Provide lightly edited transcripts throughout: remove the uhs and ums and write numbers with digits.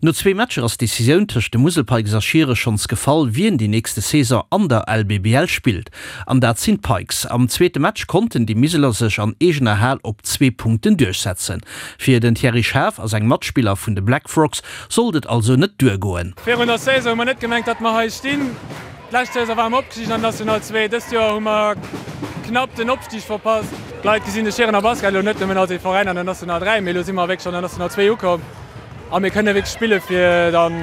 No zwee Matcher ass d'Decisioun tëscht de Musel Pikes a Schiere schonns gefall, wien déi nächste Saison an der LBBL spillt. An dat sinn d'Pikes. Am zweete Match konnten déi Miseler sech an eegener Hal op zwee Punkten duerchsetzen. Fir den Thierry Schaaf a seng Matspiller vun de Black Frogs sollt et also net duergoen. Virun der Saison hu mer net gemengt, datt mer hei stinn. D'lescht Saison ware mer opgestigen an National 2, dëst Joer hu mer knapp den Opstig verpasst. D'Leit gesinn de Schierener Basket elo net nëmmen als ee Veräin an der National 3, mee elo si mer wierklech an der National 2 ukomm. A mir kënne wierklech spille fir dann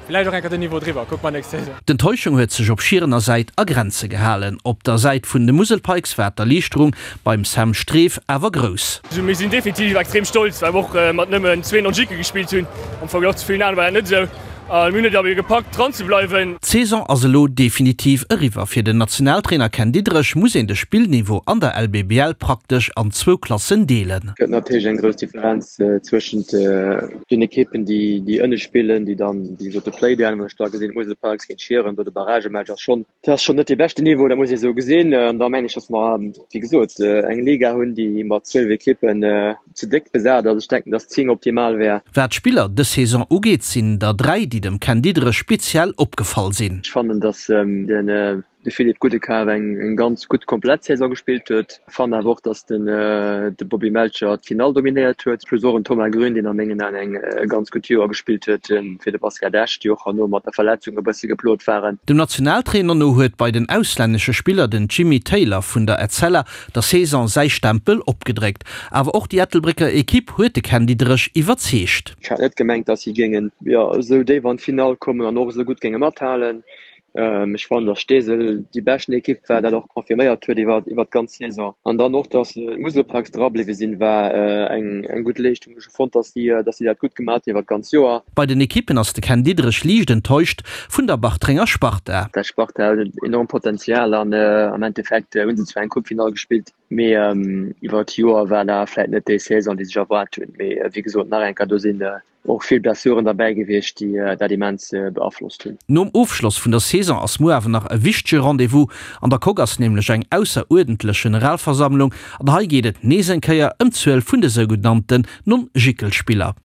villäicht och eng Kéier den Niveau driwwer. Kucke mer nächst Saison. D'Enttäuschung huet sech op Schierener Säit a Grenze gehalen. Op der Säit vun de Musel Pikes war d'Erliichterung beim Sam Streef awer grouss. Mir sinn definitiv extrem stolz, well mer och mat nëmmen zwee Non-Jicken gespillt hunn. Am Verglach zu villen anere war dat net esou. A mir hunn et awer gepackt dran ze bleiwen. D'Saison ass elo definitiv eriwwer. Fir den Nationaltrainer Ken Diederich muss een de Spillniveau an der LBBL praktesch an zwou Klassen deelen. Gëtt natierlech eng grouss Differenz zwëschent den Ekippen, déi ënne spillen, déi dann, wéi gesot, de Playdown, wann ech da gesinn, d'Musel Parks géint Schieren, do de Barragematch ass schonn, dat ass schonn net dee beschten Niveau, dat muss ee sou gesinn. An da mengen ech, datt mer, wéi gesot, eng Liga hunn, déi mat 12 Ekippen ze déck besat ass. Ech denken, datt 10 optimal wär. Wat d'Spiller dës Saison ugeet, sinn der 3, déi dem Ken Diederich speziell opgefall sinn. Ech fannen, datt den de Philippe Goudekar eng ganz gutt komplett Saison gespillt huet. Fannen awer och, datt den de Bobby Melcher d'Finall dominéiert huet, plus och en Thomas Grün, deen a mengen Aen eng ganz gutt Joer gespillt huet fir de Basket Esch, déi och herno mat der Verletzung e bësse geplot waren. Dem Nationaltrainer no huet bei den auslännesche Spiller den Jimmie Taylor vun der Etzella der Saison säi Stempel opgedréckt. Awer och déi Ettelbrécker Ekipp huet de Ken Diederich iwwerzeegt. Ech hat net gemengt, datt si géingen esou déif an d'Finall kommen an och esou gutt géinge mathalen. Ech fannen, datt Steesel déi beschten Ekipp war, dat och confirméiert huet iwwer iwwer d'ganz Saison. An dann och, datt d'Musel Parks dra bliwwe sinn, war eng eng gutt Leeschtung. Ech hu fonnt, datt si datt si dat gutt gemaach hunn iwwer d'ganz Joer. Bei den Ekippen ass de Ken Diederich liicht enttäuscht vun der Bartrenger Sparta. Dat Sparta huet en enormt Potenzial an am Endeffekt hu se zwar eng Coupefinall gespillt, mee iwwer d'Joer war dat vläit net déi Saison, déi sech erwaart hunn. Mee wéi gesot, nach eng Kéier, do sinn Och vill Blessuren derbäi gewiescht, déi dat immens beaflosst hunn. Nom Ofschloss vun der Saison ass muer awer nach e wichtege Rendez-vous. An der Coque ass nämlech eng ausseruerdentlech Generalversammlung an hei geet et nees eng Kéier ëm d'Zuel vun de sougenannten Non-Jickelspiller.